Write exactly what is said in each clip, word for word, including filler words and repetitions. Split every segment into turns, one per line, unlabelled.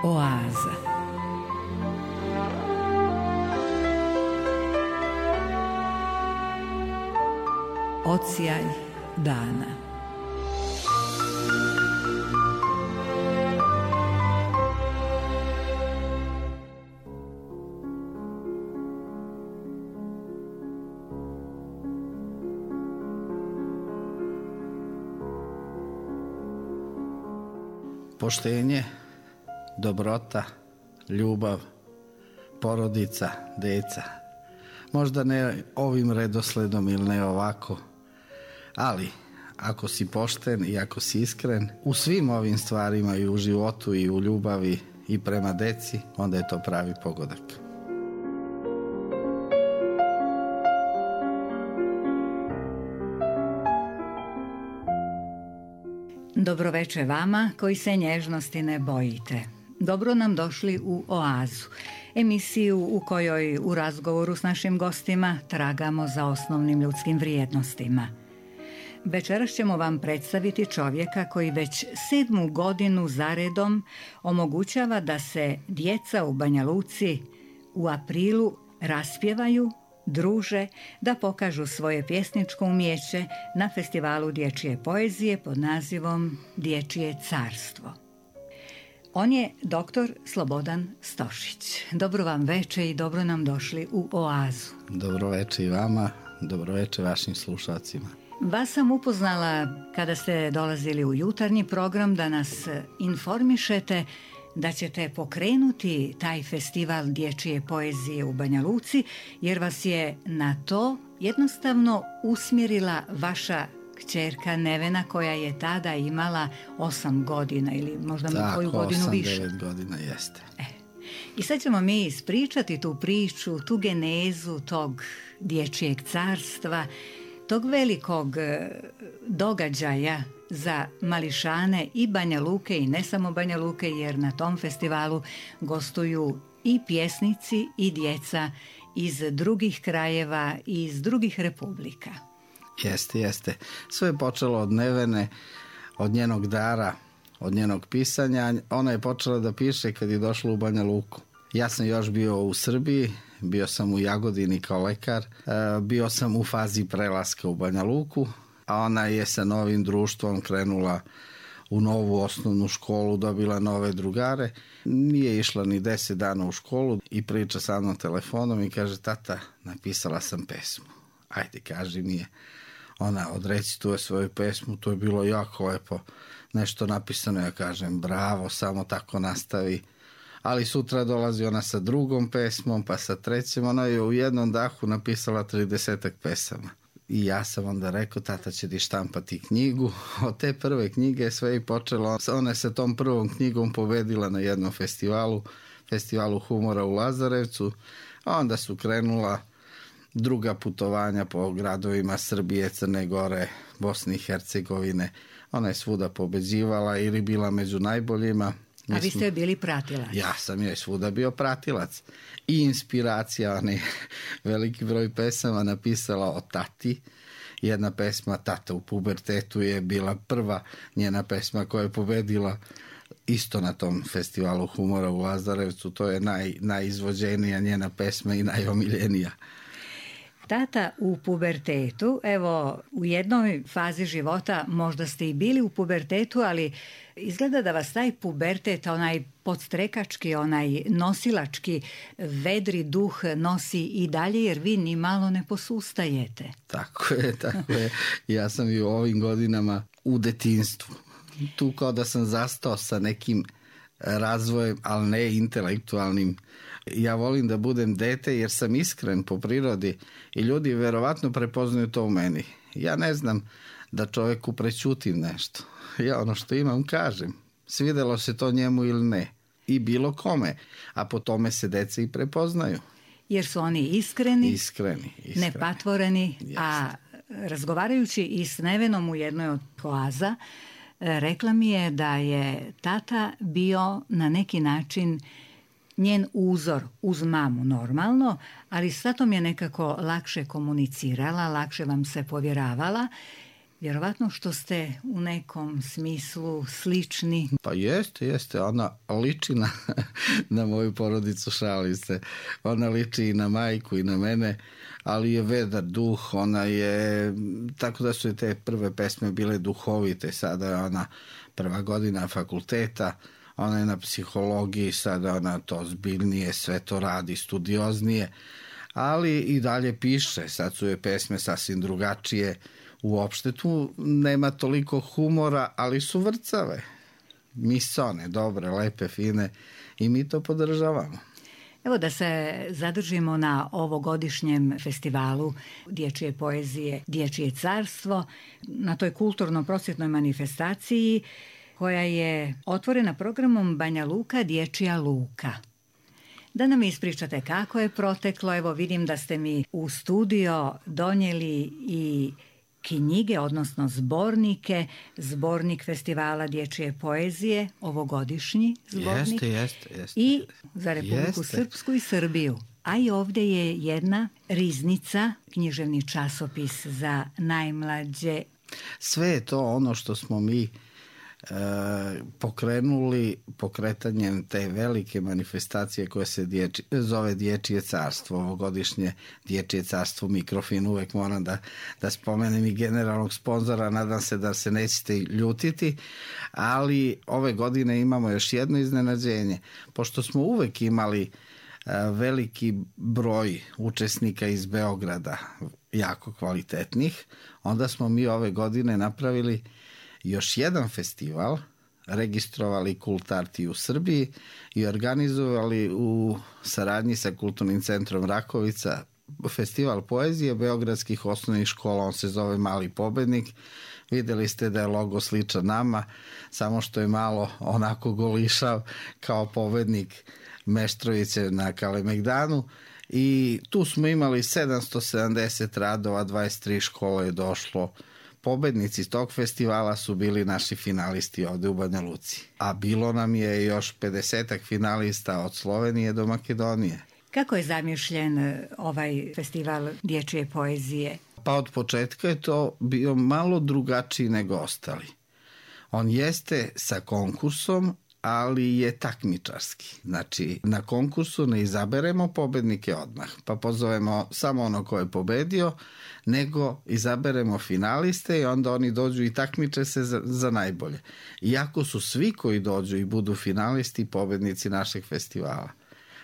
Oaza. Odsjaj dana.
Poštenje, dobrota, ljubav, porodica, deca. Možda ne ovim redosledom ili ne ovako, ali ako si pošten i ako si iskren u svim ovim stvarima i u životu i u ljubavi i prema deci, onda je to pravi pogodak.
Dobroveče vama koji se nježnosti ne bojite. Dobro nam došli u Oazu, emisiju u kojoj u razgovoru s našim gostima tragamo za osnovnim ljudskim vrijednostima. Večeras ćemo vam predstaviti čovjeka koji već sedmu godinu zaredom omogućava da se djeca u Banja Luci u aprilu raspjevaju, druže, da pokažu svoje pjesničko umijeće na festivalu dječje poezije pod nazivom Dječje carstvo. On je doktor Slobodan Stošić. Dobro vam veče i dobro nam došli u Oazu.
Dobro veče i vama, dobro veče vašim slušalcima.
Vas sam upoznala kada ste dolazili u jutarnji program da nas informišete da ćete pokrenuti taj festival dječje poezije u Banja Luci, jer vas je na to jednostavno usmjerila vaša kćerka Nevena, koja je tada imala osam godina ili možda
Tako,
koju godinu
osam,
više.
devet godina jeste.
E. I sad ćemo mi ispričati tu priču, tu genezu tog dječjeg carstva, tog velikog događaja za mališane i Banja Luke i ne samo Banja Luke, jer na tom festivalu gostuju i pjesnici i djeca iz drugih krajeva i iz drugih republika.
Jeste, jeste. Sve je počelo od Nevene, od njenog dara, od njenog pisanja. Ona je počela da piše kad je došla u Banja Luku. Ja sam još bio u Srbiji, bio sam u Jagodini kao lekar, bio sam u fazi prelaska u Banja Luku, a ona je sa novim društvom krenula u novu osnovnu školu, dobila nove drugare. Nije išla ni deset dana u školu i priča sa mnom telefonom i kaže: tata, napisala sam pesmu. Ajde, kaži mi je. Ona odrecituje svoju pesmu, to je bilo jako lepo. Nešto napisano, ja kažem bravo, samo tako nastavi. Ali sutra dolazi ona sa drugom pesmom, pa sa trećom. Ona je u jednom dahu napisala tridesetak pesama. I ja sam onda rekao: tata će ti štampati knjigu. Od te prve knjige sve je počelo. Ona je sa tom prvom knjigom pobedila na jednom festivalu, festivalu humora u Lazarevcu. A onda su krenula druga putovanja po gradovima Srbije, Crne Gore, Bosne i Hercegovine. Ona je svuda pobeđivala ili bila među najboljima.
A vi ste bili pratilac?
Ja sam joj svuda bio pratilac. I inspiracija, ona je veliki broj pesama napisala o tati. Jedna pesma Tata u pubertetu je bila prva njena pesma koja je pobedila isto na tom festivalu humora u Lazarevcu. To je naj, najizvođenija njena pesma i najomiljenija.
Tata u pubertetu, evo u jednoj fazi života možda ste i bili u pubertetu, ali izgleda da vas taj pubertet, onaj podstrekački, onaj nosilački, vedri duh nosi i dalje, jer vi ni malo ne posustajete.
Tako je, tako je. Ja sam i u ovim godinama u detinjstvu. Tu kao da sam zastao sa nekim razvojem, ali ne intelektualnim. Ja volim da budem dete jer sam iskren po prirodi i ljudi verovatno prepoznaju to u meni. Ja ne znam da čovjeku prećutim nešto. Ja ono što imam kažem. Svidelo se to njemu ili ne. I bilo kome. A po tome se deca i prepoznaju.
Jer su oni iskreni,
iskreni, iskreni.
nepatvoreni.
Jeste.
A razgovarajući i s Nevenom u jednoj od Oaza, rekla mi je da je tata bio na neki način njen uzor uz mamu normalno, ali s tatom je nekako lakše komunicirala, lakše vam se povjeravala. vjerovatno što ste u nekom smislu slični.
Pa jeste, jeste. Ona liči na, na moju porodicu, šali se. Ona liči i na majku i na mene, ali je vedar duh. Ona je, tako da su te prve pesme bile duhovite. Sada je ona prva godina fakulteta, ona je na psihologiji, sada ona to zbiljnije, sve to radi, studioznije, ali i dalje piše. Sad su je pesme sasvim drugačije. Uopšte tu nema toliko humora, ali su vrcave, misone, dobre, lepe, fine i mi to podržavamo.
Evo da se zadržimo na ovogodišnjem festivalu dječje poezije Dječje carstvo, na toj kulturno-prosvjetnoj manifestaciji koja je otvorena programom Banja Luka Dječja luka. Da nam ispričate kako je proteklo, evo vidim da ste mi u studio donijeli i knjige, odnosno zbornike, zbornik festivala dječje poezije, ovogodišnji zbornik.
Jeste, jeste, jeste.
I za Republiku
jeste.
Srpsku i Srbiju. A i ovdje je jedna riznica, književni časopis za najmlađe.
Sve je to ono što smo mi E, pokrenuli pokretanjem te velike manifestacije koja se dječi, zove Dječje carstvo, ovogodišnje Dječje carstvo Mikrofin. Uvek moram da, da spomenem i generalnog sponzora, nadam se da se nećete ljutiti, ali ove godine imamo još jedno iznenađenje, pošto smo uvek imali e, veliki broj učesnika iz Beograda, jako kvalitetnih, onda smo mi ove godine napravili još jedan festival, registrovali Kultarti u Srbiji i organizovali u saradnji sa Kulturnim centrom Rakovica festival poezije beogradskih osnovnih škola. On se zove Mali pobednik. Videli ste da je logo sličan nama, samo što je malo onako golišav kao pobednik Meštroviće na Kalemegdanu. I tu smo imali sedamsto sedamdeset radova, dvadeset tri škole je došlo. Pobednici tog festivala su bili naši finalisti ovde u Banja Luci. A bilo nam je još pedesetak finalista od Slovenije do Makedonije.
Kako je zamišljen ovaj festival dječje poezije?
Pa od početka je to bio malo drugačiji nego ostali. On jeste sa konkursom, ali je takmičarski. Znači, na konkursu ne izaberemo pobednike odmah, pa pozovemo samo ono ko je pobedio, nego izaberemo finaliste i onda oni dođu i takmiče se za, za najbolje. Iako su svi koji dođu i budu finalisti pobednici našeg festivala.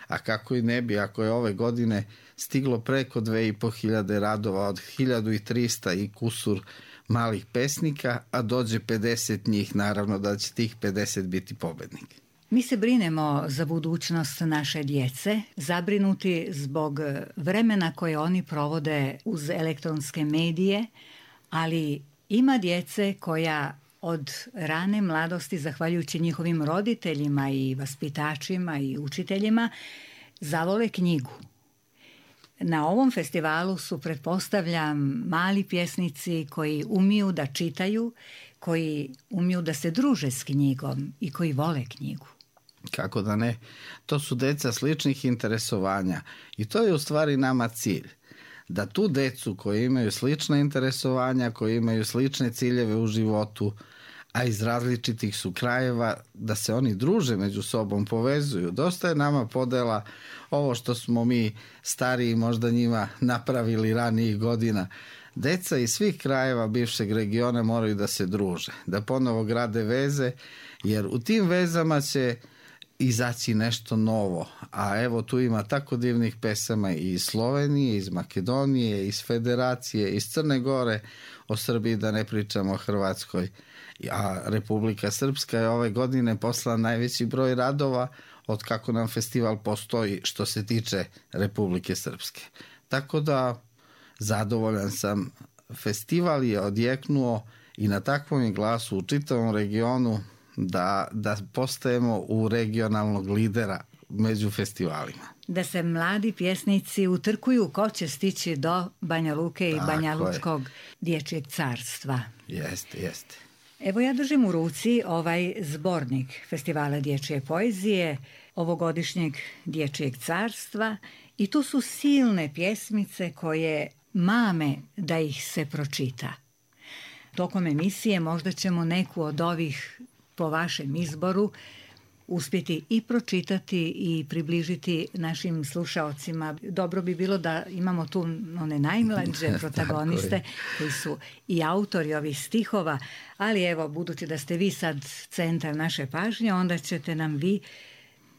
A kako i ne bi, ako je ove godine stiglo preko dve i po hiljade radova od hiljadu trista i kusur malih pesnika, a dođe pedeset njih, naravno da će tih pedeset biti pobednik.
Mi se brinemo za budućnost naše djece, zabrinuti zbog vremena koje oni provode uz elektronske medije, ali ima djece koja od rane mladosti, zahvaljujući njihovim roditeljima i vaspitačima i učiteljima, zavole knjigu. Na ovom festivalu su, pretpostavljam, mali pjesnici koji umiju da čitaju, koji umiju da se druže s knjigom i koji vole knjigu.
Kako da ne? To su deca sličnih interesovanja i to je u stvari nama cilj. Da tu decu koji imaju slična interesovanja, koji imaju slične ciljeve u životu, a iz različitih su krajeva, da se oni druže među sobom, povezuju. Dosta je nama podela ovo što smo mi stariji možda njima napravili ranijih godina. Deca iz svih krajeva bivšeg regiona moraju da se druže, da ponovo grade veze, jer u tim vezama će izaći nešto novo. A evo tu ima tako divnih pesama i iz Slovenije, iz Makedonije, iz Federacije, iz Crne Gore, o Srbiji da ne pričamo, o Hrvatskoj. A Republika Srpska je ove godine poslala najveći broj radova od kako nam festival postoji što se tiče Republike Srpske. Tako da zadovoljan sam. Festival je odjeknuo i na takvom je glasu u čitavom regionu da, da postajemo u regionalnog lidera među festivalima.
Da se mladi pjesnici utrkuju ko će stići do Banja Luke i Banja Lučkog dječjeg carstva.
Jeste, jeste.
Evo ja držim u ruci ovaj zbornik festivala dječje poezije, ovogodišnjeg dječjeg carstva i tu su silne pjesmice koje mame da ih se pročita. tokom emisije možda ćemo neku od ovih po vašem izboru uspjeti i pročitati i približiti našim slušaocima. Dobro bi bilo da imamo tu one najmlađe protagoniste koji su i autori ovih stihova, ali evo, budući da ste vi sad centar naše pažnje, onda ćete nam vi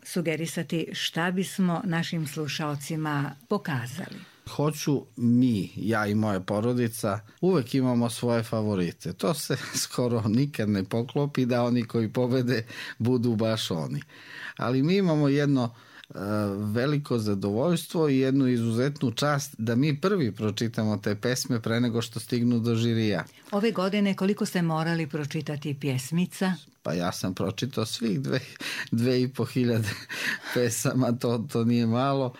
sugerisati šta bismo našim slušaocima pokazali.
Hoću mi, ja i moja porodica, uvek imamo svoje favorite. To se skoro nikad ne poklopi da oni koji pobede budu baš oni. Ali mi imamo jedno uh, veliko zadovoljstvo i jednu izuzetnu čast da mi prvi pročitamo te pesme pre nego što stignu do žirija.
Ove godine koliko ste morali pročitati pjesmica?
Pa ja sam pročitao svih dve, dve i po hiljade pesama, to, to nije malo.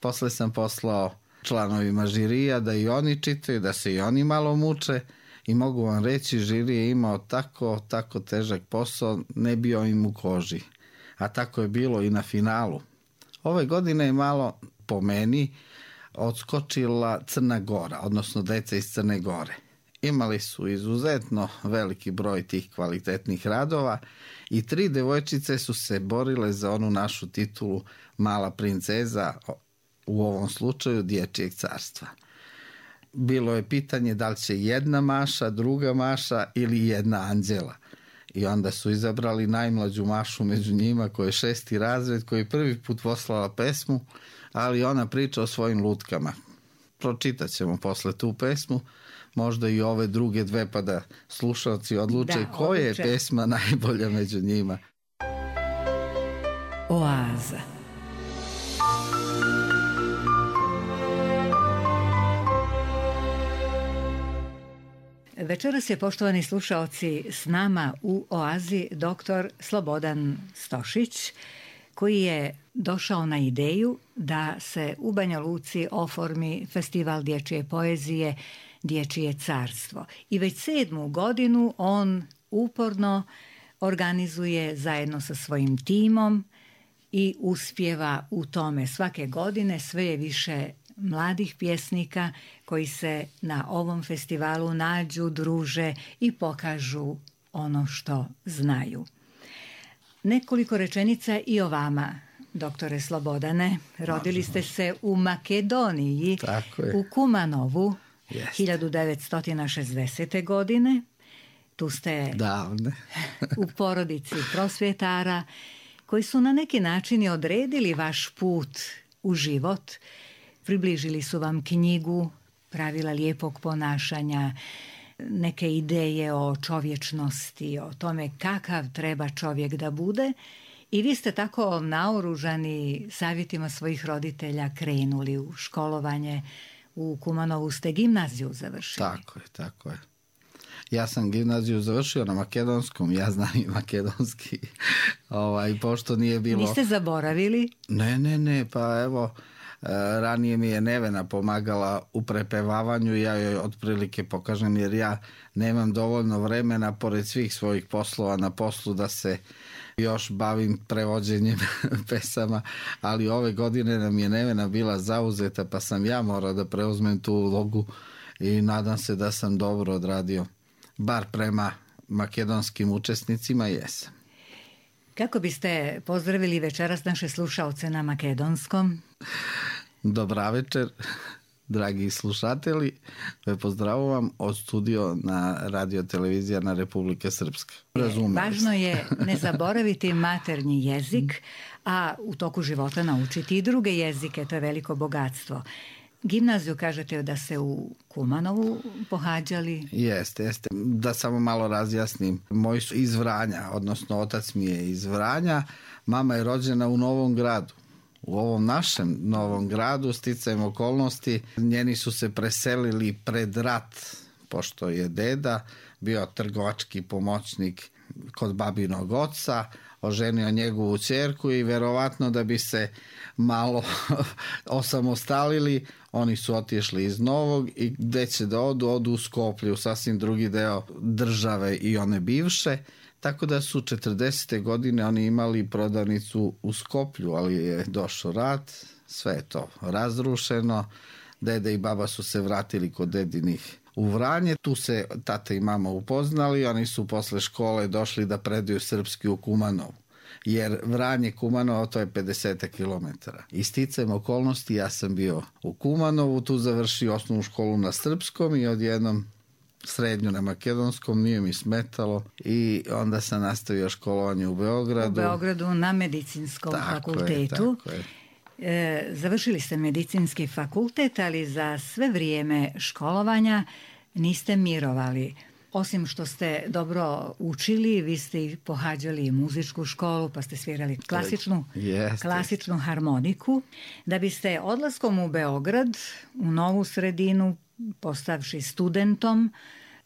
Posle sam poslao članovima žirija da i oni čitaju, da se i oni malo muče i mogu vam reći, žiri je imao tako, tako težak posao, ne bio im u koži. A tako je bilo i na finalu. Ove godine je malo, po meni, odskočila Crna Gora, odnosno deca iz Crne Gore. Imali su izuzetno veliki broj tih kvalitetnih radova i tri devojčice su se borile za onu našu titulu Mala princeza, u ovom slučaju Dječjeg carstva. Bilo je pitanje da li će jedna Maša, druga Maša ili jedna Anđela. I onda su izabrali najmlađu Mašu među njima, koja je šesti razred, koji je prvi put poslala pesmu, ali ona priča o svojim lutkama. Pročitat ćemo posle tu pesmu, možda i ove druge dve, pa da slušalci odluče da, koja je pesma najbolja među njima.
Oaza. Večeras je, poštovani slušaoci, s nama u Oazi doktor Slobodan Stošić, koji je došao na ideju da se u Banja Luci oformi festival dječje poezije Dječje carstvo. I već sedmu godinu on uporno organizuje zajedno sa svojim timom i uspijeva u tome. Svake godine sve je više mladih pjesnika koji se na ovom festivalu nađu, druže i pokažu ono što znaju. Nekoliko rečenica i o vama, doktore Slobodane. Rodili ste se u Makedoniji, u Kumanovu, Jest. hiljadu devetsto šezdesete. godine. Tu ste
Davne.
u porodici prosvjetara koji su na neki način odredili vaš put u život. Približili su vam knjigu, pravila lijepog ponašanja, neke ideje o čovječnosti, o tome kakav treba čovjek da bude. I vi ste tako naoružani savjetima svojih roditelja krenuli u školovanje. U Kumanovu ste gimnaziju završili.
Tako je, tako je. Ja sam gimnaziju završio na makedonskom, ja znam i makedonski. Ovaj, pošto nije bilo...
Niste zaboravili?
Ne, ne, ne, pa evo... Ranije mi je Nevena pomagala u prepevavanju, ja joj otprilike pokažem, jer ja nemam dovoljno vremena pored svih svojih poslova na poslu da se još bavim prevođenjem pesama, ali ove godine nam je Nevena bila zauzeta, pa sam ja morao da preuzmem tu ulogu i nadam se da sam dobro odradio, bar prema makedonskim učesnicima jesam.
Kako biste pozdravili večeras naše slušaoce na makedonskom?
Dobra večer, dragi slušatelji. Pozdravujem od studio na radio televizija na Republike Srpske.
Razumem. Važno je ne zaboraviti maternji jezik, a u toku života naučiti i druge jezike, to je veliko bogatstvo. Gimnaziju kažete da se u Kumanovu pohađali?
Jeste, jeste. Da samo malo razjasnim. Moji su iz Vranja, odnosno otac mi je iz Vranja, mama je rođena u Novom Gradu. U ovom našem Novom Gradu, sticajem okolnosti, njeni su se preselili pred rat, pošto je deda bio trgovački pomoćnik kod babinog oca, oženio njegovu ćerku i verovatno da bi se malo osamostalili, oni su otišli iz Novog i gde će da odu, odu u Skoplje, u sasvim drugi deo države i one bivše, tako da su četrdesete godine oni imali prodavnicu u Skoplju, ali je došao rat, sve je to razrušeno, Dede i baba su se vratili kod dedinih u Vranje. Tu se tata i mama upoznali. Oni su posle škole došli da predaju srpski u Kumanovu. Jer Vranje Kumanovo to je pedeset kilometara. I sticajem okolnosti ja sam bio u Kumanovu, tu završio osnovnu školu na srpskom i odjednom srednju na makedonskom, nije mi smetalo i onda sam nastavio školovanje u Beogradu.
U Beogradu na medicinskom
tako
fakultetu.
Je, tako je.
E, završili ste medicinski fakultet, ali za sve vrijeme školovanja niste mirovali. Osim što ste dobro učili, vi ste i pohađali muzičku školu, pa ste svirali klasičnu,
yes,
klasičnu yes. harmoniku, da biste odlaskom u Beograd, u novu sredinu, postavši studentom,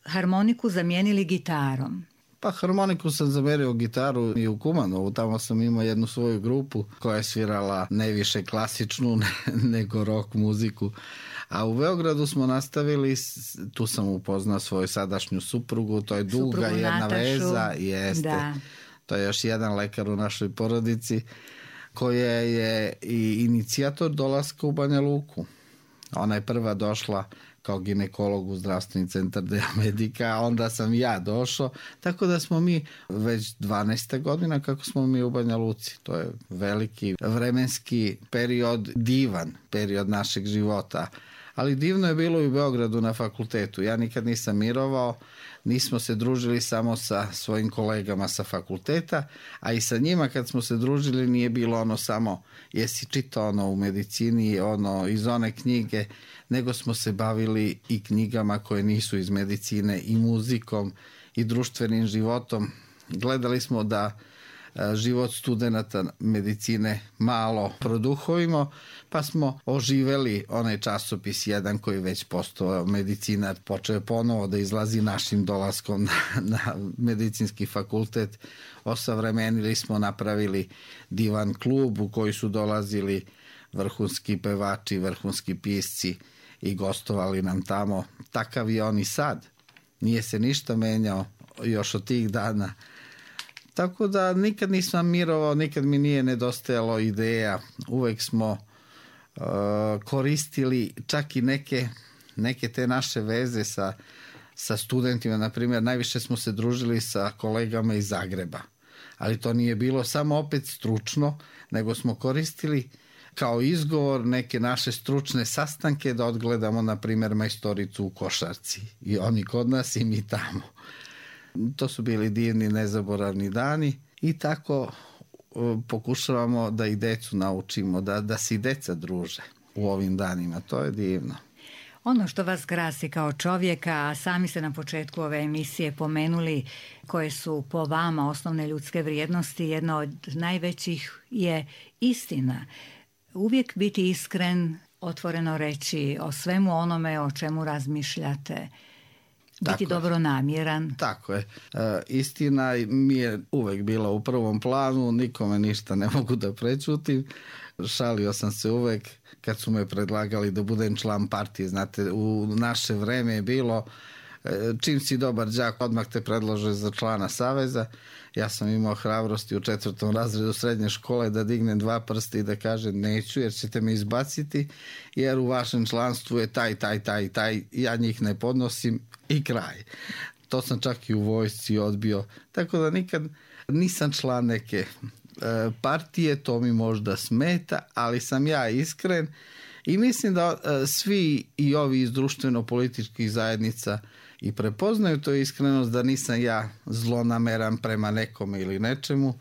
harmoniku zamijenili gitarom.
Pa harmoniku sam zamerio gitaru i u Kumanovu, tamo sam imao jednu svoju grupu koja je svirala ne više klasičnu nego rock muziku. A u Beogradu smo nastavili, tu sam upoznao svoju sadašnju suprugu, to je duga suprugu jedna
Natašu.
Veza, jeste.
Da.
To je još jedan lekar u našoj porodici koja je i inicijator dolaska u Banja Luku. Ona je prva došla kao ginekolog u zdravstveni centar Dea Medica, a onda sam ja došao, tako da smo mi već dvanaesta godina kako smo mi u Banja Luci. To je veliki vremenski period, divan period našeg života. Ali divno je bilo i u Beogradu na fakultetu. Ja nikad nisam mirovao, nismo se družili samo sa svojim kolegama sa fakulteta, a i sa njima kad smo se družili nije bilo ono samo jesi čitao ono u medicini, ono iz one knjige, nego smo se bavili i knjigama koje nisu iz medicine, i muzikom, i društvenim životom. Gledali smo da život studenata medicine malo produhovimo, pa smo oživeli onaj časopis jedan koji već postao medicinar, počeo je ponovo da izlazi našim dolaskom na, na medicinski fakultet. Osavremenili smo, napravili divan klub u koji su dolazili vrhunski pevači, vrhunski pisci i gostovali nam tamo. Takav je on i sad. Nije se ništa menjao još od tih dana. Tako da nikad nisam mirovao, nikad mi nije nedostajalo ideja. Uvek smo uh, koristili čak i neke, neke te naše veze sa, sa studentima. Naprimjer, najviše smo se družili sa kolegama iz Zagreba. Ali to nije bilo samo opet stručno, nego smo koristili kao izgovor neke naše stručne sastanke da odgledamo, na primjer, majstoricu u košarci. I oni kod nas i mi tamo. To su bili divni, nezaboravni dani i tako uh, pokušavamo da i decu naučimo, da, da se i deca druže u ovim danima. To je divno.
Ono što vas krasi kao čovjeka, a sami ste na početku ove emisije pomenuli koje su po vama osnovne ljudske vrijednosti, jedna od najvećih je istina. Uvijek biti iskren, otvoreno reći o svemu onome o čemu razmišljate. Biti tako dobronamjeran.
Tako je. E, istina mi je uvek bila u prvom planu, nikome ništa ne mogu da prečutim. Šalio sam se uvek kad su me predlagali da budem član partije. Znate, u naše vreme je bilo čim si dobar đak, odmah te predlože za člana saveza. Ja sam imao hrabrosti u četvrtom razredu srednje škole da dignem dva prsta i da kažem neću jer ćete me izbaciti, jer u vašem članstvu je taj, taj, taj, taj, ja njih ne podnosim i kraj. To sam čak i u vojsci odbio. Tako da nikad nisam član neke e, partije, to mi možda smeta, ali sam ja iskren i mislim da e, svi i ovi iz društveno-političkih zajednica i prepoznaju to iskrenost, da nisam ja zlonameran prema nekome ili nečemu,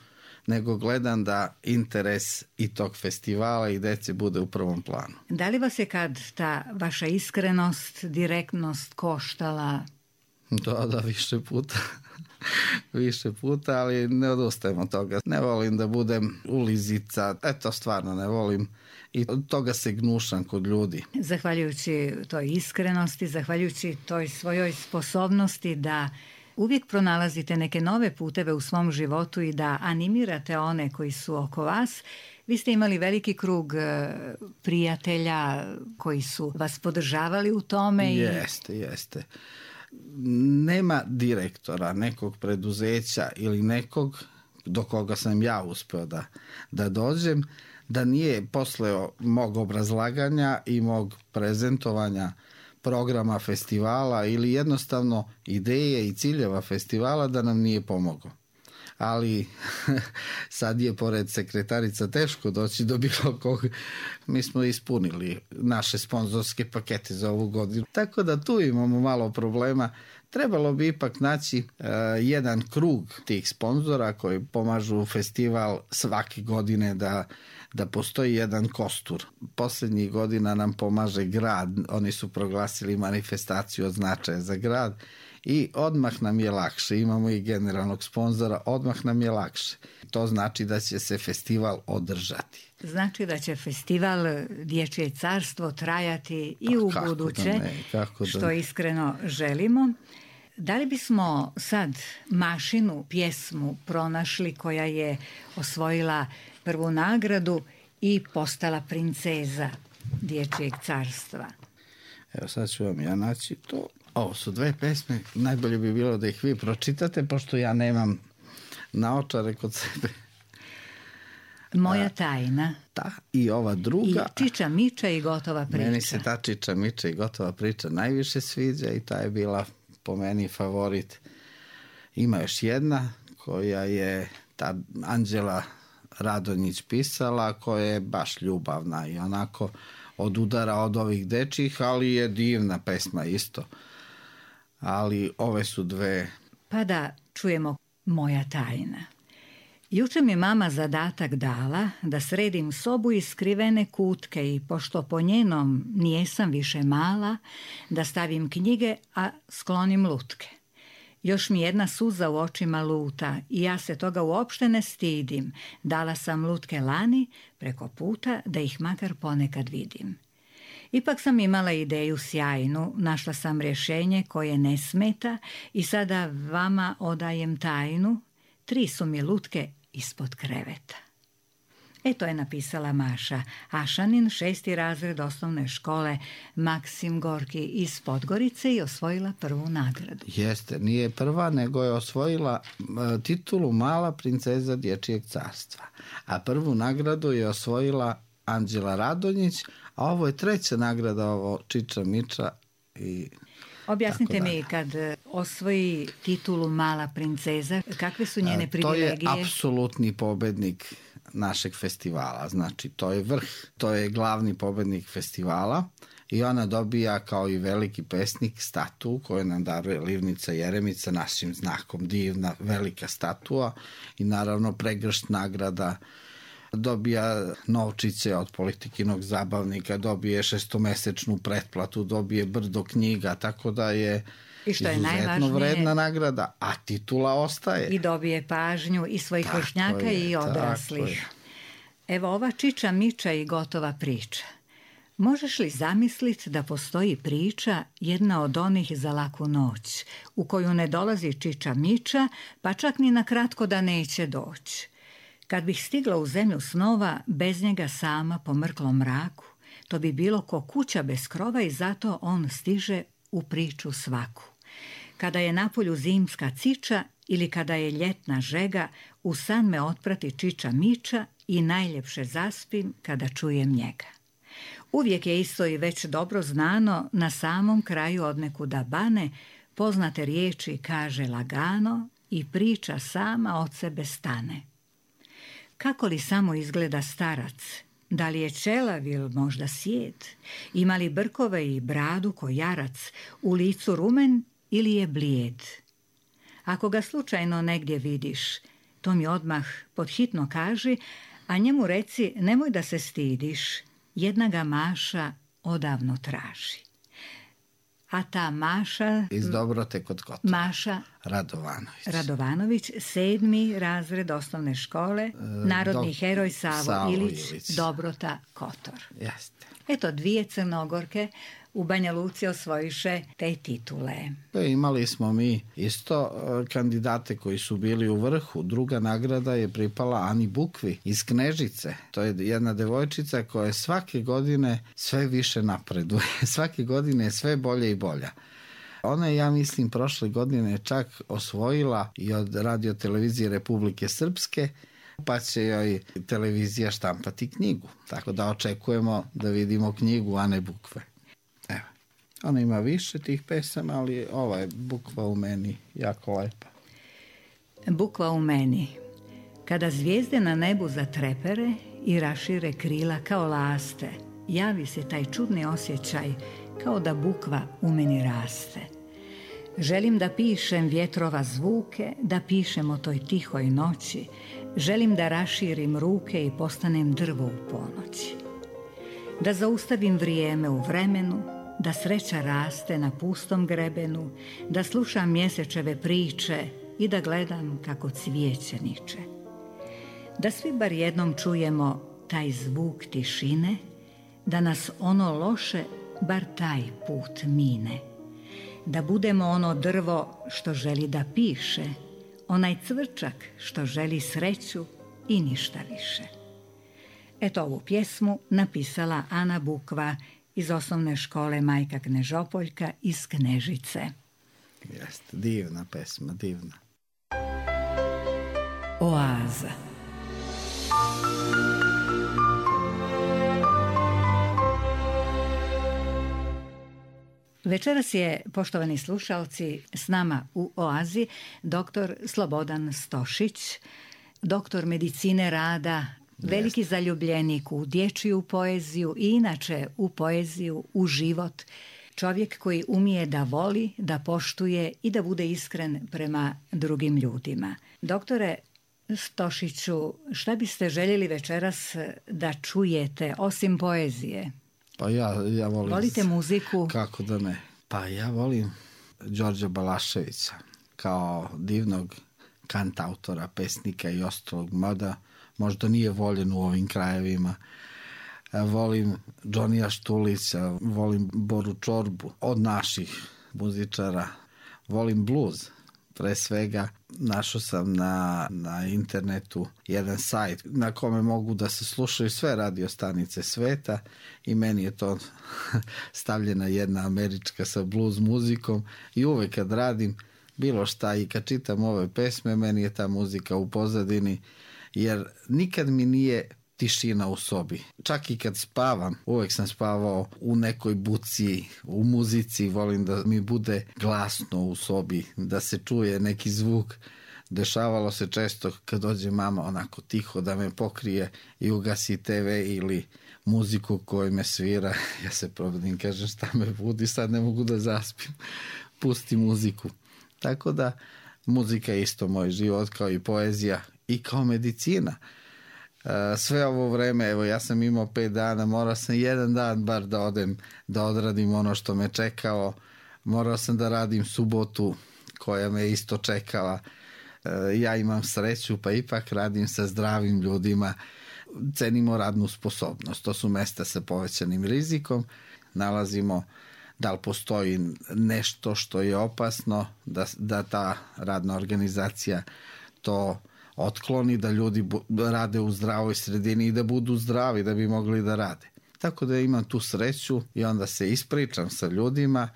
nego gledam da interes i tog festivala i dece bude u prvom planu.
Da li vas je kad ta vaša iskrenost, direktnost koštala?
Da, da, više puta. više puta, ali ne odustajem od toga. Ne volim da budem ulizica, eto stvarno ne volim i od toga se gnušam kod ljudi.
Zahvaljujući toj iskrenosti, zahvaljujući toj svojoj sposobnosti da uvijek pronalazite neke nove puteve u svom životu i da animirate one koji su oko vas, vi ste imali veliki krug prijatelja koji su vas podržavali u tome.
Jeste, i... jeste. Nema direktora nekog preduzeća ili nekog do koga sam ja uspeo da, da dođem, da nije posle mog obrazlaganja i mog prezentovanja programa festivala ili jednostavno ideje i ciljeva festivala da nam nije pomogao. Ali sad je pored sekretarica teško doći do bilo kog. Mi smo ispunili naše sponzorske pakete za ovu godinu. Tako da tu imamo malo problema. Trebalo bi ipak naći uh, jedan krug tih sponzora koji pomažu festival svake godine da, da postoji jedan kostur. Poslednjih godina nam pomaže grad. Oni su proglasili manifestaciju od značaja za grad i odmah nam je lakše. Imamo i generalnog sponzora, odmah nam je lakše. To znači da će se festival održati.
Znači da će festival Dječje carstvo trajati i u
kako
buduće,
da ne, kako da
što
ne.
Iskreno želimo. Da li bismo sad Mašinu pjesmu pronašli koja je osvojila prvu nagradu i postala princeza Dječjeg carstva?
Evo sad ću vam ja naći to. Ovo su dve pesme, najbolje bi bilo da ih vi pročitate, pošto ja nemam naočare kod sebe.
Moja tajna.
Ta i ova druga.
I Čiča Miča i gotova priča.
Meni se ta Čiča Miča i gotova priča najviše sviđa i ta je bila po meni favorit. Ima još jedna koja je ta Anđela Radonjić pisala, koja je baš ljubavna i onako od udara od ovih dečjih, ali je divna pesma isto. Ali ove su dve.
Pa da čujemo Moja tajna. Juče mi mama zadatak dala da sredim sobu i skrivene kutke i pošto po njenom nijesam više mala, da stavim knjige, a sklonim lutke. Još mi jedna suza u očima luta i ja se toga uopšte ne stidim. Dala sam lutke lani preko puta da ih makar ponekad vidim. Ipak sam imala ideju sjajnu, našla sam rješenje koje ne smeta i sada vama odajem tajnu, tri su mi lutke ispod kreveta. E, to je napisala Maša Ašanin, šesti razred osnovne škole Maksim Gorki iz Podgorice i osvojila prvu nagradu.
Jeste, nije prva, nego je osvojila titulu Mala princeza Dječjeg carstva. A prvu nagradu je osvojila Anđela Radonjić, a ovo je treća nagrada, ovo Čiča Miča i...
Objasnite mi, kad osvoji titulu Mala princeza, kakve su njene privilegije?
To je apsolutni pobednik našeg festivala, znači to je vrh, to je glavni pobednik festivala i ona dobija kao i veliki pesnik statu koju nam daruje Livnica Jeremica našim znakom, divna velika statua i naravno pregršt nagrada. Dobija novčiće od Politikinog zabavnika, dobije šestomesečnu pretplatu, dobije brdo knjiga, tako da je izuzetno vredna nagrada, a titula ostaje.
I dobije pažnju i svojih vršnjaka i odraslih. Evo ova Čiča Miča i gotova priča. Možeš li zamisliti da postoji priča, jedna od onih za laku noć, u koju ne dolazi Čiča Miča, pa čak ni na kratko da neće doći? Kad bih stigla u zemlju snova, bez njega sama po mrklom mraku, to bi bilo ko kuća bez krova i zato on stiže u priču svaku. Kada je napolju zimska ciča ili kada je ljetna žega, u san me otprati Čiča Miča i najljepše zaspim kada čujem njega. Uvijek je isto i već dobro znano, na samom kraju odnekuda bane, poznate riječi kaže lagano i priča sama od sebe stane. Kako li samo izgleda starac? Da li je čelav ili možda sjed? Ima li brkove i bradu ko jarac? U licu rumen ili je blijed? Ako ga slučajno negdje vidiš, to mi odmah podhitno kaži, a njemu reci nemoj da se stidiš, jedna ga Maša odavno traži. A ta Maša...
Iz Dobrote kod Kotora.
Maša
Radovanović.
Radovanović, sedmi razred osnovne škole, e, narodni do, heroj Savo, Savo Ilić, Ilić, Dobrota Kotor.
Jeste.
Eto, dvije Crnogorke u Banja Luci osvojiše te titule.
Imali smo mi isto kandidate koji su bili u vrhu. Druga nagrada je pripala Ani Bukvi iz Knežice. To je jedna devojčica koja svake godine sve više napreduje. Svake godine je sve bolje i bolja. Ona je, ja mislim, prošle godine čak osvojila i od Radio televizije Republike Srpske pa će joj televizija štampati knjigu. Tako da očekujemo da vidimo knjigu, a ne bukve. Evo. Ona ima više tih pesama, ali ova je Bukva u meni jako lepa.
Bukva u meni. Kada zvijezde na nebu zatrepere i rašire krila kao laste, javi se taj čudni osjećaj kao da bukva u meni raste. Želim da pišem vjetrova zvuke, da pišem o toj tihoj noći. Želim da raširim ruke i postanem drvo u ponoći. Da zaustavim vrijeme u vremenu, da sreća raste na pustom grebenu, da slušam mjesečeve priče i da gledam kako cvijeće niče. Da svi bar jednom čujemo taj zvuk tišine, da nas ono loše bar taj put mine. Da budemo ono drvo što želi da piše, onaj cvrčak što želi sreću i ništa više. Eto, ovu pjesmu napisala Ana Bukva iz osnovne škole Majka Knežopoljka iz Knežice.
Jeste, divna pesma, divna.
Oaza. Večeras je, poštovani slušalci, s nama u Oazi doktor Slobodan Stošić, doktor medicine rada, veliki zaljubljenik u dječju poeziju i inače u poeziju, u život. Čovjek koji umije da voli, da poštuje i da bude iskren prema drugim ljudima. Doktore Stošiću, šta biste željeli večeras da čujete osim poezije?
Pa ja, ja volim...
Volite muziku?
Kako da ne? Pa ja volim Đorđa Balaševića kao divnog kantautora, pesnika i ostalog, mada možda nije voljen u ovim krajevima. Volim Džonija Štulića, volim Boru Čorbu od naših muzičara, volim bluz. Pre svega našao sam na, na internetu jedan sajt na kome mogu da se slušaju sve radio stanice sveta i meni je to stavljena jedna američka sa blues muzikom i uvek kad radim bilo šta i kad čitam ove pesme, meni je ta muzika u pozadini, jer nikad mi nije tišina u sobi. Čak i kad spavam, uvek sam spavao u nekoj buci, u muzici, volim da mi bude glasno u sobi, da se čuje neki zvuk. Dešavalo se često kad dođe mama onako tiho da me pokrije i ugasi te ve ili muziku koju me svira. Ja se probudim, kažem šta me budi, sad ne mogu da zaspim. Pusti muziku. Tako da muzika je isto moj život kao i poezija i kao medicina. Sve ovo vreme, evo ja sam imao pet dana, morao sam jedan dan bar da odem, da odradim ono što me čekao, morao sam da radim subotu koja me isto čekala. Ja imam sreću pa ipak radim sa zdravim ljudima, cenimo radnu sposobnost, to su mesta sa povećanim rizikom, nalazimo da li postoji nešto što je opasno, da, da ta radna organizacija to otkloni, da ljudi rade u zdravoj sredini i da budu zdravi da bi mogli da rade. Tako da imam tu sreću i onda se ispričam sa ljudima.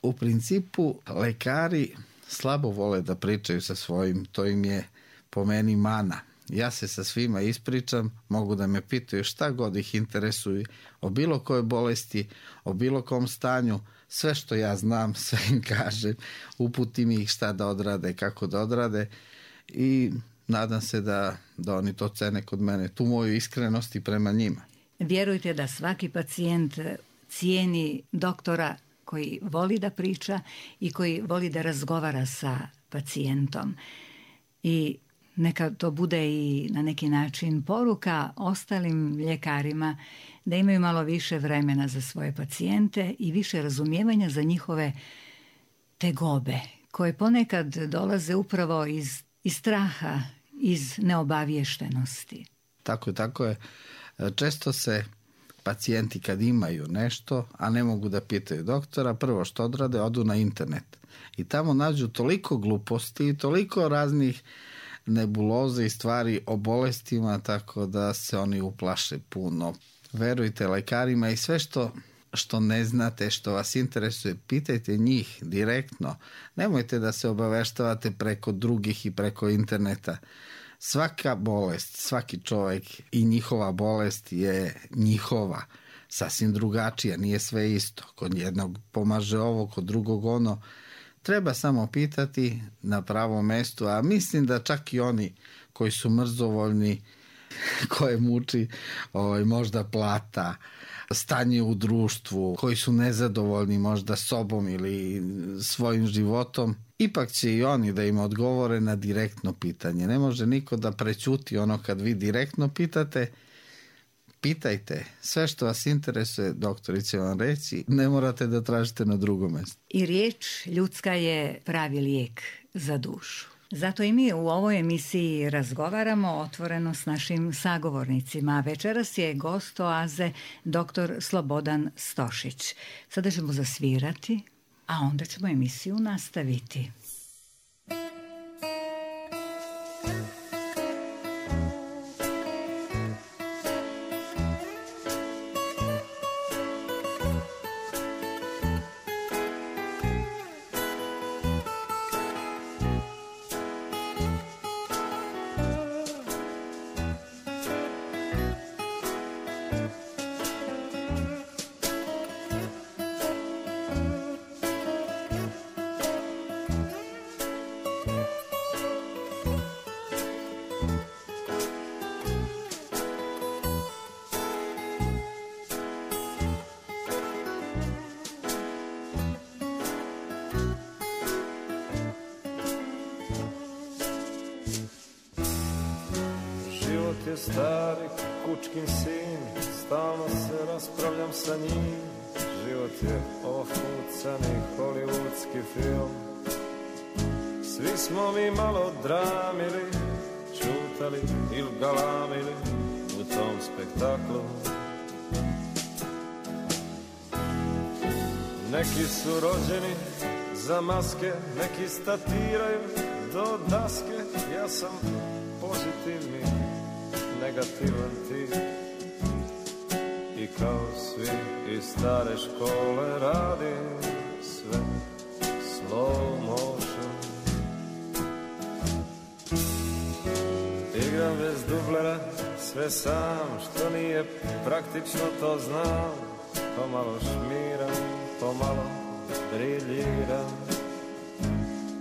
U principu lekari slabo vole da pričaju sa svojim, to im je po meni mana. Ja se sa svima ispričam, mogu da me pitaju šta god ih interesuje o bilo kojoj bolesti, o bilo kom stanju, sve što ja znam, sve im kažem, uputim ih šta da odrade, kako da odrade i nadam se da, da oni to cene kod mene, tu moju iskrenost i prema njima.
Vjerujte da svaki pacijent cijeni doktora koji voli da priča i koji voli da razgovara sa pacijentom. I neka to bude i na neki način poruka ostalim ljekarima da imaju malo više vremena za svoje pacijente i više razumijevanja za njihove tegobe, koje ponekad dolaze upravo iz, iz straha, iz neobaviještenosti.
Tako je, tako je. Često se pacijenti kad imaju nešto, a ne mogu da pitaju doktora, prvo što odrade, odu na internet. I tamo nađu toliko gluposti i toliko raznih nebuloze i stvari o bolestima, tako da se oni uplaše puno. Verujte lekarima i sve što, što ne znate, što vas interesuje, pitajte njih direktno. Nemojte da se obaveštavate preko drugih i preko interneta. Svaka bolest, svaki čovjek i njihova bolest je njihova, sasvim drugačija, nije sve isto. Kod jednog pomaže ovo, kod drugog ono. Treba samo pitati na pravom mestu, a mislim da čak i oni koji su mrzovoljni, koje muči ovaj, možda plata, stanje u društvu, koji su nezadovoljni možda sobom ili svojim životom, ipak će i oni da im odgovore na direktno pitanje. Ne može niko da prećuti ono kad vi direktno pitate. Pitajte, sve što vas interesuje, doktori će vam reći, ne morate da tražite na drugom mjestu.
I riječ ljudska je pravi lijek za dušu. Zato i mi u ovoj emisiji razgovaramo otvoreno s našim sagovornicima. Večeras je gost Oaze doktor Slobodan Stošić. Sada ćemo zasvirati, a onda ćemo emisiju nastaviti.
je stari kučkin sin, stalno se raspravljam sa njim. Život je ofucani hollywoodski film. Svi smo mi malo dramili, čutali ili galamili u tom spektaklu. Neki su rođeni za maske, neki statiraju do daske. Ja sam pozitivni, negativan tip i kao svi iz stare škole radim sve slow motion. Igram bez dublera, sve sam, što nije praktično to znam. Pomalo šmiram, pomalo briljiram.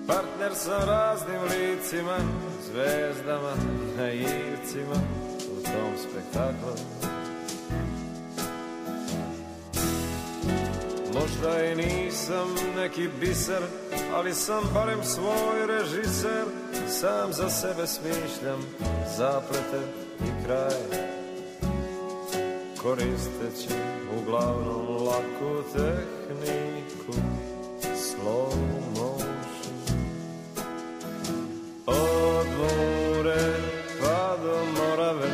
Partner sa raznim licima, zvezdama, naivcima u tom spektaklu. Možda i nisam neki biser, ali sam barem svoj režiser. Sam za sebe smišljam zaplete i kraj, koristeći uglavnom laku tehniku slow motion. Od Mure pa do Morave,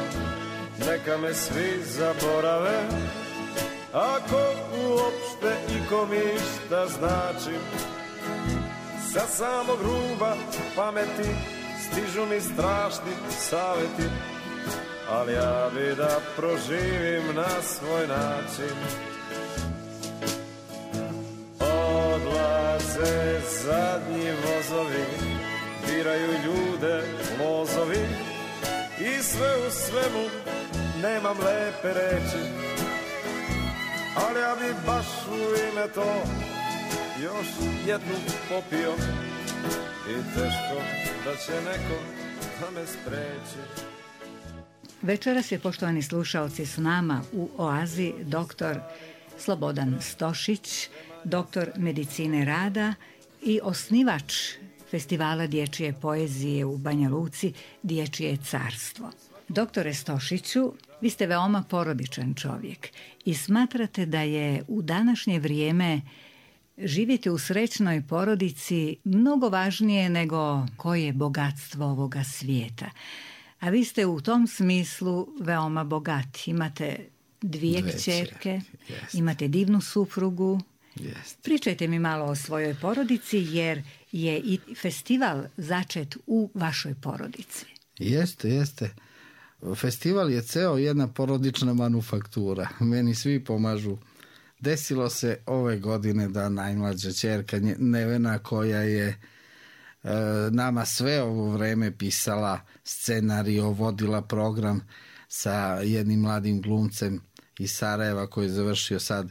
neka me svi zaborave, ako uopšte ikom išta značim. Sa samog ruba pameti stižu mi strašni savjeti, ali ja bi da proživim na svoj način. Odlaze zadnji vozovi, biraju ljude lozovi i sve u svemu nemam lepe reči, ali ja bi baš u ime to još jednu popio i teško da će neko da me spreči.
Večeras je, poštovani slušaoci, s nama u Oazi doktor Slobodan Stošić, doktor medicine rada i osnivač Festivala dječje poezije u Banja Luci Dječje carstvo. Doktore Stošiću, vi ste veoma porodičan čovjek i smatrate da je u današnje vrijeme živjeti u srećnoj porodici mnogo važnije nego koje je bogatstvo ovoga svijeta. A vi ste u tom smislu veoma bogati. Imate dvije, dvije kćerke, imate divnu suprugu.
Jest.
Pričajte mi malo o svojoj porodici, jer je i festival začet u vašoj porodici.
Jeste, jeste. Festival je ceo jedna porodična manufaktura. Meni svi pomažu. Desilo se ove godine da najmlađa ćerka Nevena, koja je nama sve ovo vreme pisala scenario, vodila program sa jednim mladim glumcem iz Sarajeva koji je završio sad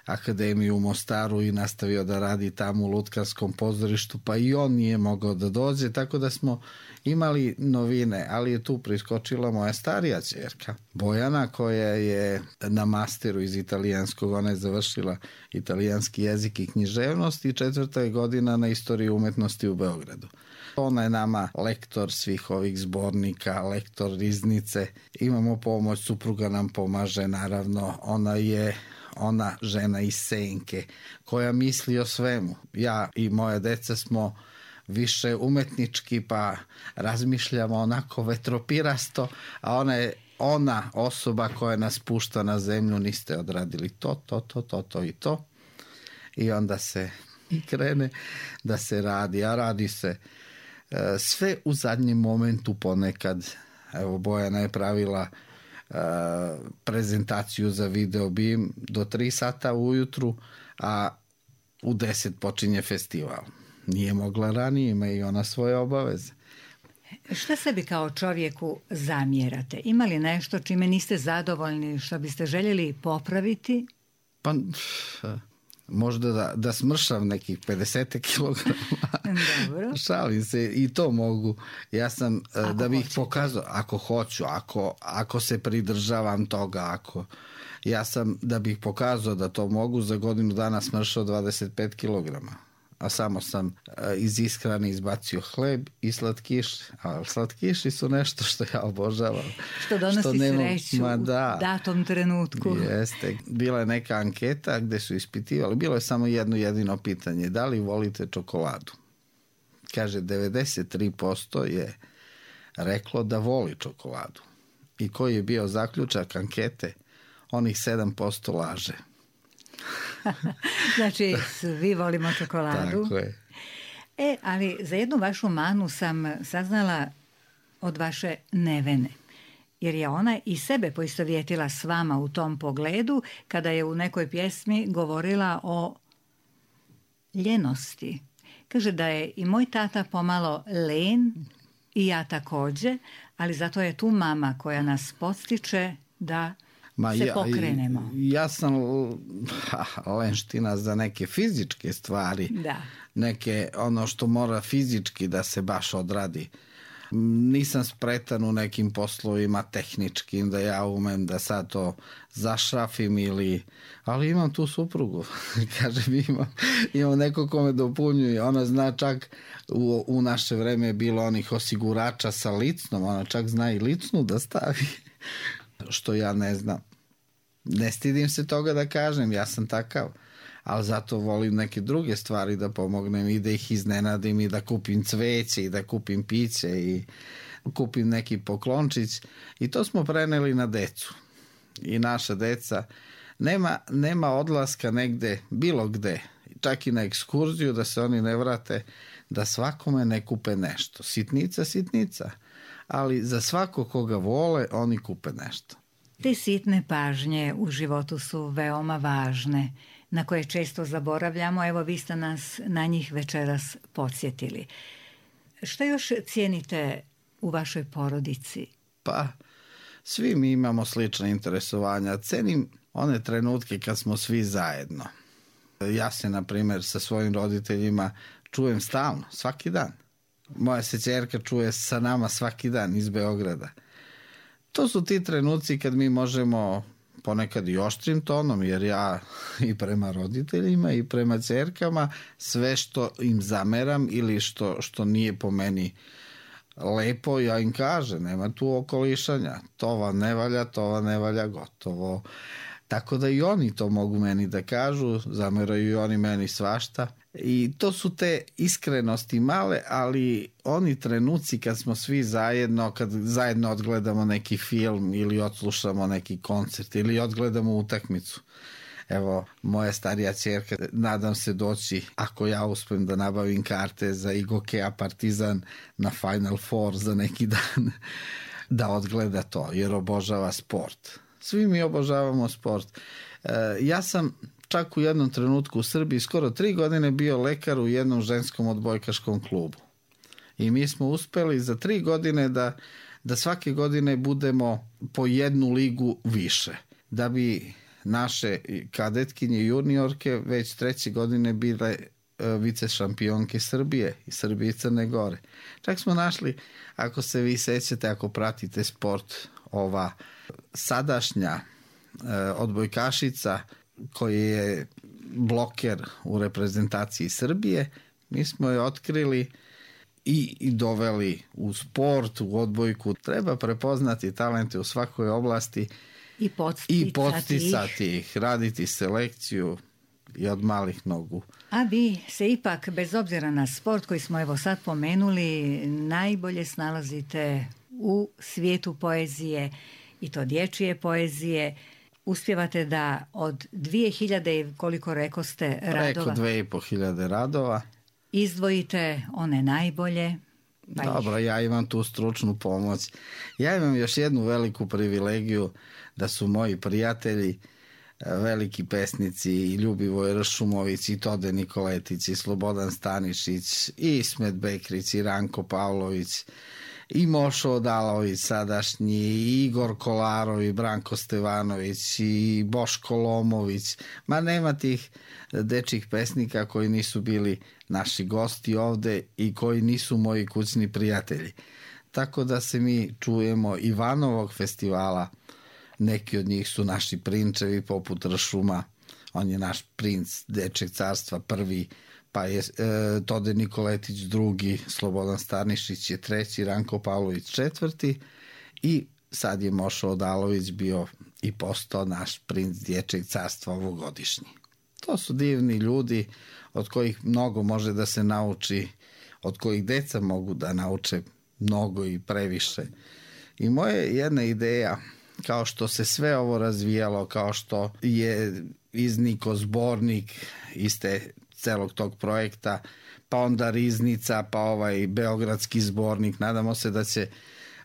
akademiju u Mostaru i nastavio da radi tamo u Lutkarskom pozorištu, pa i on nije mogao da dođe, tako da smo imali novine, ali je tu priskočila moja starija ćerka Bojana, koja je na masteru iz italijanskog, ona je završila italijanski jezik i književnost i četvrta je godina na istoriji umetnosti u Beogradu. Ona je nama lektor svih ovih zbornika, lektor riznice, imamo pomoć, supruga nam pomaže, naravno, ona je ona žena iz senke koja misli o svemu. Ja i moja deca smo više umetnički, pa razmišljamo onako vetropirasto, a ona je ona osoba koja nas pušta na zemlju, niste odradili to, to, to, to, to i to. I onda se i krene da se radi, a radi se e, sve u zadnjem momentu ponekad. Evo, Bojana je pravila Uh, prezentaciju za video BIM do tri sata ujutru, a u deset počinje festival. Nije mogla ranije, ima i ona svoje obaveze.
Šta sebi kao čovjeku zamjerate? Ima li nešto čime niste zadovoljni, što biste željeli popraviti?
Pa možda da, da smršam nekih pedeset kilograma.
Dobro.
Šalim se, i to mogu. Ja sam,
ako
da bih
hoćete.
pokazao, ako hoću, ako, ako se pridržavam toga, ako... Ja sam, da bih pokazao da to mogu, za godinu dana smršao dvadeset pet kilograma. A samo sam iz ishrane izbacio hleb i slatkiši. A slatkiši su nešto što ja obožavam.
Što donosi
što nema,
sreću
ma
u
da,
datom trenutku.
Jeste. Bila je neka anketa gde su ispitivali. Bilo je samo jedno jedino pitanje. Da li volite čokoladu? Kaže, devedeset tri posto je reklo da voli čokoladu. I koji je bio zaključak ankete? Onih sedam posto laže.
Znači, svi volimo čokoladu.
Tako je.
E, ali za jednu vašu manu sam saznala od vaše nevene. Jer je ona i sebe poistovjetila s vama u tom pogledu kada je u nekoj pjesmi govorila o ljenosti. Kaže da je i moj tata pomalo len i ja također, ali zato je tu mama koja nas podstiče da
Ma
se
ja,
pokrenemo.
Ja sam ha, lenština za neke fizičke stvari.
Da.
Neke, ono što mora fizički da se baš odradi. Nisam spretan u nekim poslovima tehničkim da ja umem da sad to zašrafim ili... Ali imam tu suprugu. Kažem, imam, imam neko ko me dopunjuje. Ona zna čak, u, u naše vreme je bilo onih osigurača sa licnom. Ona čak zna i licnu da stavi. Što ja ne znam. Ne stidim se toga da kažem, ja sam takav. Ali zato volim neke druge stvari da pomognem i da ih iznenadim i da kupim cveće i da kupim piće i kupim neki poklončić. I to smo preneli na decu. I naša deca, nema, nema odlaska negde, bilo gde, čak i na ekskurziju da se oni ne vrate, da svakome ne kupe nešto. Sitnica, sitnica. Ali za svako koga vole, oni kupe nešto.
Te sitne pažnje u životu su veoma važne, na koje često zaboravljamo. Evo, vi ste nas na njih večeras podsjetili. Šta još cijenite u vašoj porodici?
Pa, svi mi imamo slična interesovanja. Cenim one trenutke kad smo svi zajedno. Ja se, na primjer, sa svojim roditeljima čujem stalno, svaki dan. Moja se ćerka čuje sa nama svaki dan iz Beograda. To su ti trenuci kad mi možemo ponekad i oštrim tonom, jer ja i prema roditeljima i prema ćerkama sve što im zameram ili što, što nije po meni lepo, ja im kažem, nema tu okolišanja. To vam ne valja, to vam ne valja, gotovo. Tako da i oni to mogu meni da kažu, zameraju i oni meni svašta. I to su te iskrenosti male, ali oni trenuci kad smo svi zajedno, kad zajedno odgledamo neki film ili odslušamo neki koncert ili odgledamo utakmicu. Evo, moja starija ćerka, nadam se doći, ako ja uspem da nabavim karte za Igokea Partizan na Final Four za neki dan, da odgleda to, jer obožava sport. Svi mi obožavamo sport. E, ja sam čak u jednom trenutku u Srbiji skoro tri godine bio lekar u jednom ženskom odbojkaškom klubu. I mi smo uspeli za tri godine da, da svake godine budemo po jednu ligu više. Da bi naše kadetkinje i juniorke već treće godine bile vice šampionke Srbije i Srbije i Crne Gore. Čak smo našli, ako se vi sećate, ako pratite sport, ova sadašnja odbojkašica koji je bloker u reprezentaciji Srbije, mi smo je otkrili i, i doveli u sport, u odbojku. Treba prepoznati talente u svakoj oblasti
i podsticati,
i podsticati ih, raditi selekciju i od malih nogu.
A vi se ipak, bez obzira na sport koji smo evo sad pomenuli, najbolje snalazite u svijetu poezije, i to dječje poezije. Uspijevate da od dvije hiljade, koliko rekoste, radova...
Preko dve i po hiljade radova.
Izdvojite one najbolje. Pa
Dobro, ja imam tu stručnu pomoć. Ja imam još jednu veliku privilegiju da su moji prijatelji veliki pesnici i Ljubivoj Ršumović i Tode Nikoletić i Slobodan Stanišić i Ismet Bekrić i Ranko Pavlović i Mošo Odalović sadašnji, i Igor Kolarov i Branko Stevanović i Boško Lomović. Ma nema tih dečjih pesnika koji nisu bili naši gosti ovde i koji nisu moji kućni prijatelji. Tako da se mi čujemo Ivanovog festivala. Neki od njih su naši prinčevi poput Ršuma. On je naš princ dečjeg carstva prvi, pa je e, Tode Nikoletić drugi, Slobodan Stanišić je treći, Ranko Pavlović četvrti i sad je Mošo Odalović bio i postao naš princ dječjeg carstva ovogodišnji. To su divni ljudi od kojih mnogo može da se nauči, od kojih deca mogu da nauče mnogo i previše. I moja jedna ideja, kao što se sve ovo razvijalo, kao što je iznikao zbornik iste celog tog projekta, pa onda Riznica, pa ovaj beogradski zbornik. Nadamo se da će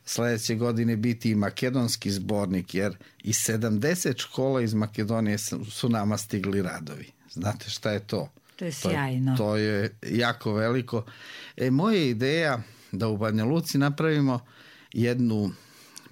sledeće godine biti i makedonski zbornik, jer iz sedamdeset škola iz Makedonije su nama stigli radovi. Znate šta je to?
To je sjajno.
To, to je jako veliko. E, moja ideja da u Banja Luci napravimo jednu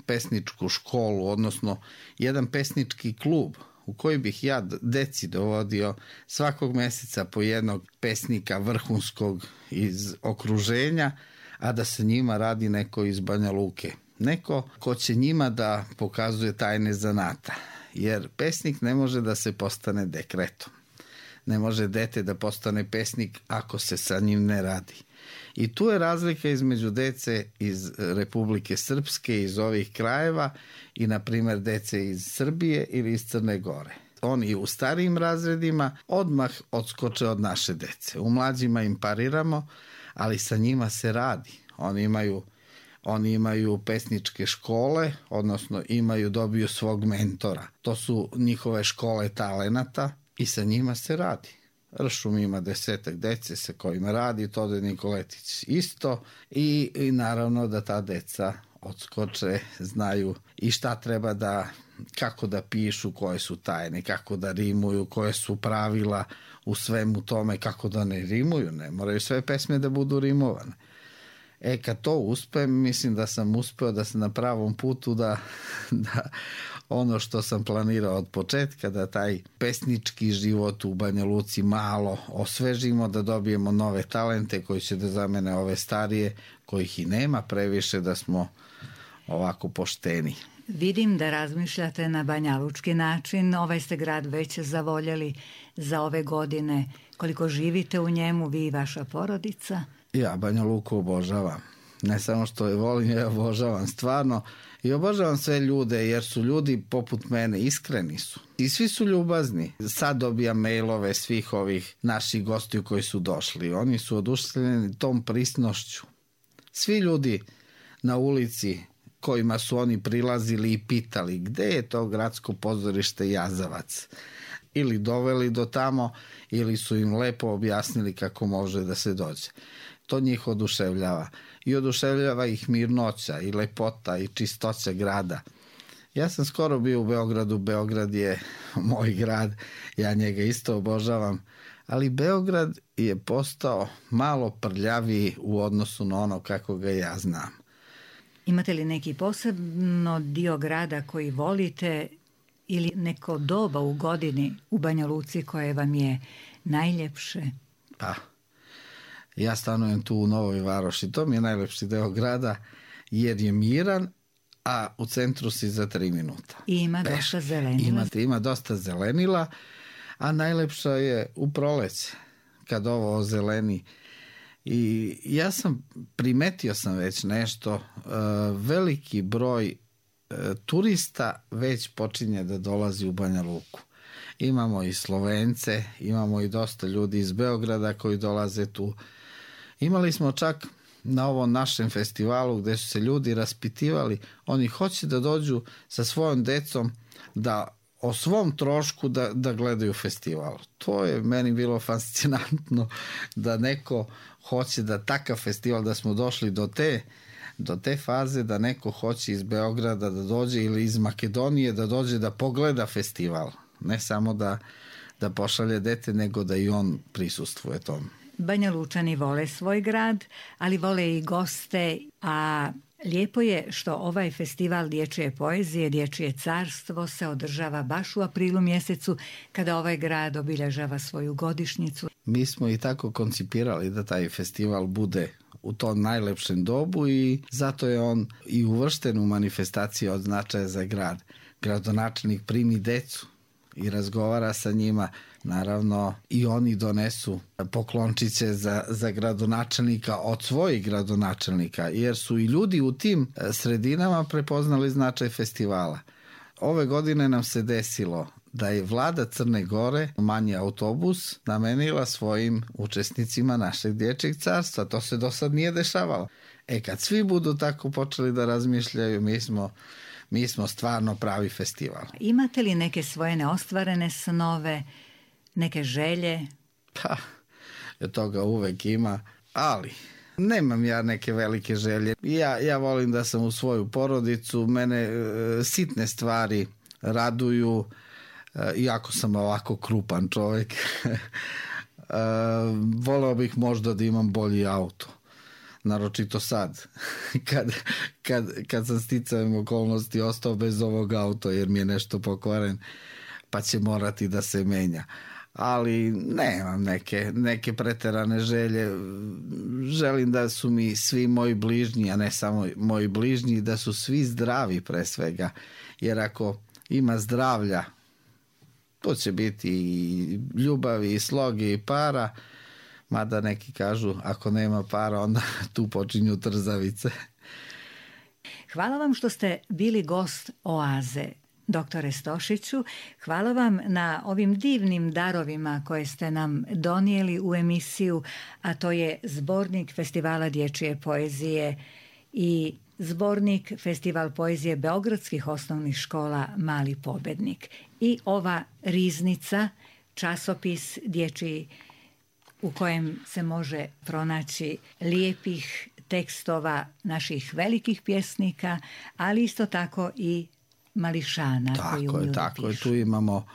pesničku školu, odnosno jedan pesnički klub u koji bih ja deci dovodio svakog meseca po jednog pesnika vrhunskog iz okruženja, a da se njima radi neko iz Banja Luke. Neko ko će njima da pokazuje tajne zanata. Jer pesnik ne može da se postane dekretom. Ne može dete da postane pesnik ako se sa njim ne radi. I tu je razlika između dece iz Republike Srpske, iz ovih krajeva i, na primjer, dece iz Srbije ili iz Crne Gore. Oni u starijim razredima odmah odskoče od naše dece. U mlađima im pariramo, ali sa njima se radi. Oni imaju, oni imaju pesničke škole, odnosno imaju, dobiju svog mentora. To su njihove škole talenata i sa njima se radi. Ršum ima desetak dece sa kojima radi, Tode Nikoletić isto i, i naravno da ta deca odskoče, znaju i šta treba da, kako da pišu, koje su tajne, kako da rimuju, koje su pravila u svemu tome, kako da ne rimuju, ne moraju sve pesme da budu rimovane. E, kad to uspem, mislim da sam uspeo da sam na pravom putu, da, da ono što sam planirao od početka, da taj pesnički život u Banja Luci malo osvežimo, da dobijemo nove talente koji će da zamene ove starije, kojih i nema previše, da smo ovako pošteni.
Vidim da razmišljate na banjalučki način. Ovaj ste grad već zavoljeli za ove godine. Koliko živite u njemu, vi i vaša porodica?
Ja Banja Luku obožavam. Ne samo što je volim, ja obožavam stvarno. I obožavam sve ljude, jer su ljudi poput mene, iskreni su. I svi su ljubazni. Sad dobijam mailove svih ovih naših gostiju koji su došli. Oni su oduševljeni tom prisnošću. Svi ljudi na ulici kojima su oni prilazili i pitali gde je to gradsko pozorište Jazavac, ili doveli do tamo, ili su im lepo objasnili kako može da se dođe. To njih oduševljava. I oduševljava ih mirnoća i lepota i čistoća grada. Ja sam skoro bio u Beogradu, Beograd je moj grad, ja njega isto obožavam, ali Beograd je postao malo prljaviji u odnosu na ono kako ga ja znam.
Imate li neki posebno dio grada koji volite ili neko doba u godini u Banja Luci koje vam je najljepše?
Pa, ja stanujem tu u Novoj Varoši. To mi je najlepši deo grada jer je miran, a u centru si za tri minuta.
I ima Peš. dosta zelenila.
Ima, ima dosta zelenila, a najlepša je u proleće, kad ovo ozeleni. I ja sam, primetio sam već nešto, uh, veliki broj uh, turista već počinje da dolazi u Banja Luku. Imamo i Slovence, imamo i dosta ljudi iz Beograda koji dolaze tu. Imali smo čak na ovom našem festivalu gde su se ljudi raspitivali, oni hoće da dođu sa svojom decom da o svom trošku da, da gledaju festival. To je meni bilo fascinantno da neko hoće da takav festival, da smo došli do te, do te faze da neko hoće iz Beograda da dođe ili iz Makedonije da dođe da pogleda festival. Ne samo da, da pošalje dete, nego da i on prisustvuje tomu.
Banja Lučani vole svoj grad, ali vole i goste, a lijepo je što ovaj festival dječje poezije, Dječje carstvo, se održava baš u aprilu mjesecu kada ovaj grad obilježava svoju godišnjicu.
Mi smo i tako koncipirali da taj festival bude u tom najlepšem dobu i zato je on i uvršten u manifestacije od značaja za grad. Gradonačelnik primi decu i razgovara sa njima. Naravno, i oni donesu poklončiće za, za gradonačelnika od svojih gradonačelnika, jer su i ljudi u tim sredinama prepoznali značaj festivala. Ove godine nam se desilo da je vlada Crne Gore manji autobus namenila svojim učesnicima našeg dječjeg carstva. To se do sad nije dešavalo. E, kad svi budu tako počeli da razmišljaju, mi smo Mi smo stvarno pravi festival.
Imate li neke svoje neostvarene snove, neke želje?
Pa, toga uvek ima, ali nemam ja neke velike želje. Ja, ja volim da sam u svoju porodicu, mene e, sitne stvari raduju, e, iako sam ovako krupan čovjek. e, voleo bih možda da imam bolji auto. Naročito sad, kad, kad, kad sam sticajem okolnosti ostao bez ovog auta jer mi je nešto pokvaren, pa će morati da se menja. Ali nemam neke, neke preterane želje. Želim da su mi svi moji bližnji, a ne samo moji bližnji, da su svi zdravi pre svega. Jer ako ima zdravlja, to će biti i ljubavi, i sloge, i para. Mada neki kažu, ako nema para, onda tu počinju trzavice.
Hvala vam što ste bili gost Oaze, doktore Stošiću. Hvala vam na ovim divnim darovima koje ste nam donijeli u emisiju, a to je zbornik Festivala dječje poezije i zbornik Festival poezije beogradskih osnovnih škola Mali pobednik. I ova riznica, časopis dječji u kojem se može pronaći lijepih tekstova naših velikih pjesnika, ali isto tako i mališana.
Tako
koji
je, tako je. Tu imamo,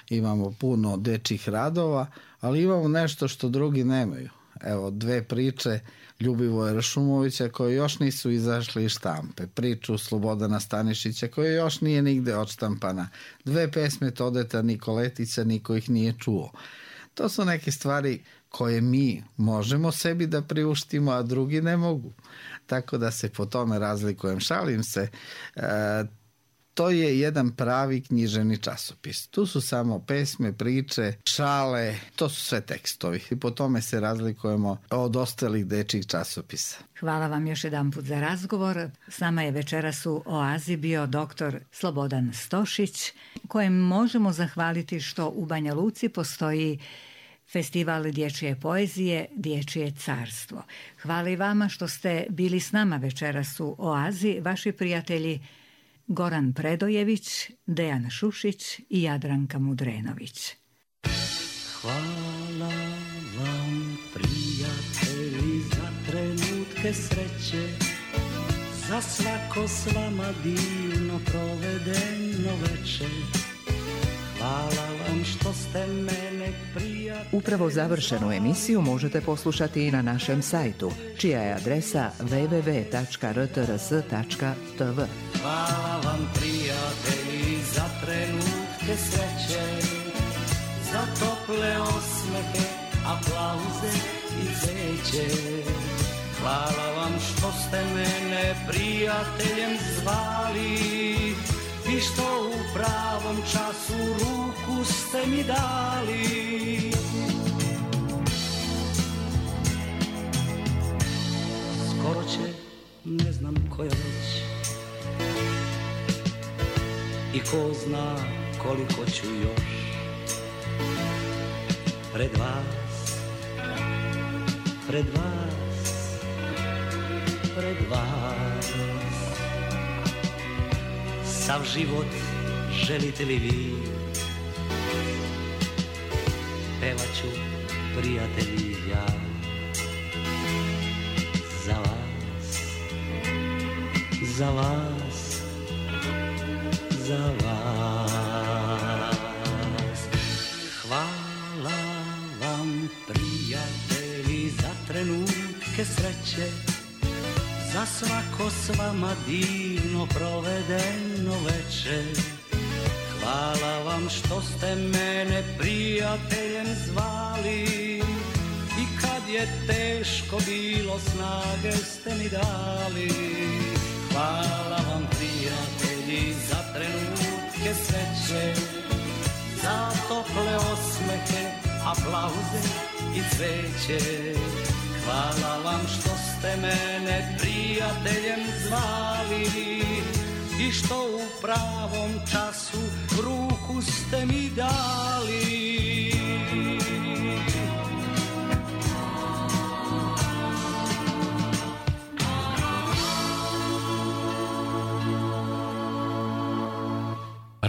imamo puno dečjih radova, ali imamo nešto što drugi nemaju. Evo, dve priče Ljubivoja Ršumovića koje još nisu izašli iz štampe. Priču Slobodana Stanišića koja još nije nigde odštampana. Dve pesme Todeta Nikoletića, niko ih nije čuo. To su neke stvari koje mi možemo sebi da priuštimo, a drugi ne mogu. Tako da se po tome razlikujem. Šalim se. E, to je jedan pravi književni časopis. Tu su samo pesme, priče, šale, to su sve tekstovi. I po tome se razlikujemo od ostalih dečjih časopisa.
Hvala vam još jedan put za razgovor. S nama je večeras u Oazi bio doktor Slobodan Stošić, kojem možemo zahvaliti što u Banja Luci postoji Festival dječje poezije, Dječje carstvo. Hvala i vama što ste bili s nama večeras u Oazi, vaši prijatelji Goran Predojević, Dejan Šušić i Jadranka Mudrenović.
Hvala vam, prijatelji, za trenutke sreće, za svako s vama divno provedeno večer. Hvala vam vam što ste mene prijatelj.
Upravo završenu emisiju možete poslušati i na našem sajtu, čija je adresa w w w tačka r t r s tačka t v.
Hvala vam prijatelji za trenutke sreće, za tople osmehe, aplauze i cveće. Hvala vam što ste mene prijateljem zvali i što u pravom času ruku ste mi dali. Skoro će, ne znam koja već, i ko zna koliko ću još pred vas, pred vas, pred vas. Sav život želite li vi, pevaću prijatelji ja za vas, za vas, za vas. Hvala vam prijatelji za trenutke sreće, za svako s vama divno provedeno veče. Hvala vam što ste mene prijateljem zvali i kad je teško bilo snage ste mi dali. Hvala vam prijatelji za trenutke sreće, za tople osmehe, aplauze i cveće. Hvala vam što ste mene prijateljem zvali i što u pravom času ruku ste mi dali.